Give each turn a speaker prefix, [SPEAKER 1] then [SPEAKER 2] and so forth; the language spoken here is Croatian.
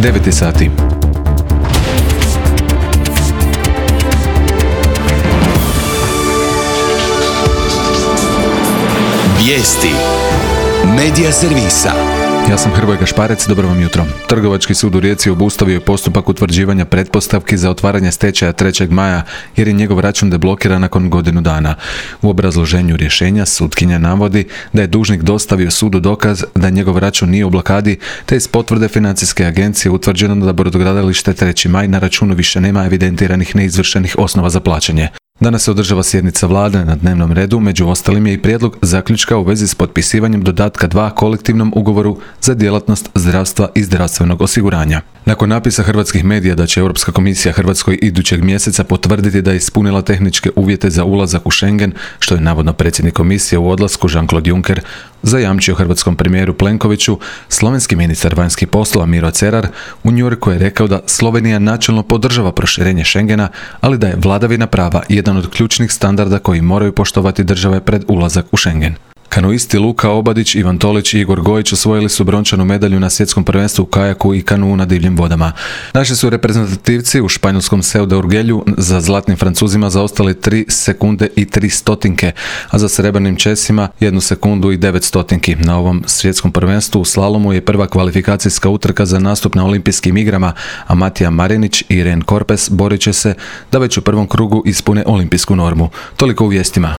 [SPEAKER 1] 9 sati.
[SPEAKER 2] Vijesti Medija servisa.
[SPEAKER 1] Ja sam Hrvoje Gašparec, dobro vam jutro. Trgovački sud u Rijeci obustavio je postupak utvrđivanja pretpostavki za otvaranje stečaja 3. maja jer je njegov račun deblokiran nakon godinu dana. U obrazloženju rješenja sutkinja navodi da je dužnik dostavio sudu dokaz da njegov račun nije u blokadi, te iz potvrde financijske agencije utvrđeno da brodogradilište 3. maj na računu više nema evidentiranih neizvršenih osnova za plaćanje. Danas se održava sjednica vlade, na dnevnom redu, među ostalim je i prijedlog zaključka u vezi s potpisivanjem dodatka 2 kolektivnom ugovoru za djelatnost zdravstva i zdravstvenog osiguranja. Nakon napisa hrvatskih medija da će Europska komisija Hrvatskoj idućeg mjeseca potvrditi da je ispunila tehničke uvjete za ulazak u Schengen, što je navodno predsjednik komisije u odlasku Jean-Claude Juncker zajamčio hrvatskom premijeru Plenkoviću, slovenski ministar vanjskih poslova Miro Cerar u New Yorku je rekao da Slovenija načelno podržava proširenje Schengena, ali da je vladavina prava jedan od ključnih standarda koji moraju poštovati države pred ulazak u Schengen. Kanuisti Luka Obadić, Ivan Tolić i Igor Gojić osvojili su brončanu medalju na svjetskom prvenstvu u kajaku i kanuu na divljim vodama. Naši su reprezentativci u španjolskom Seu de Urgelju za zlatnim Francuzima zaostali 3 sekunde i 3 stotinke, a za srebrnim Česima 1 sekundu i 9 stotinki. Na ovom svjetskom prvenstvu u slalomu je prva kvalifikacijska utrka za nastup na olimpijskim igrama, a Matija Marinić i Ren Korpes borit će se da već u prvom krugu ispune olimpijsku normu. Toliko u vijestima.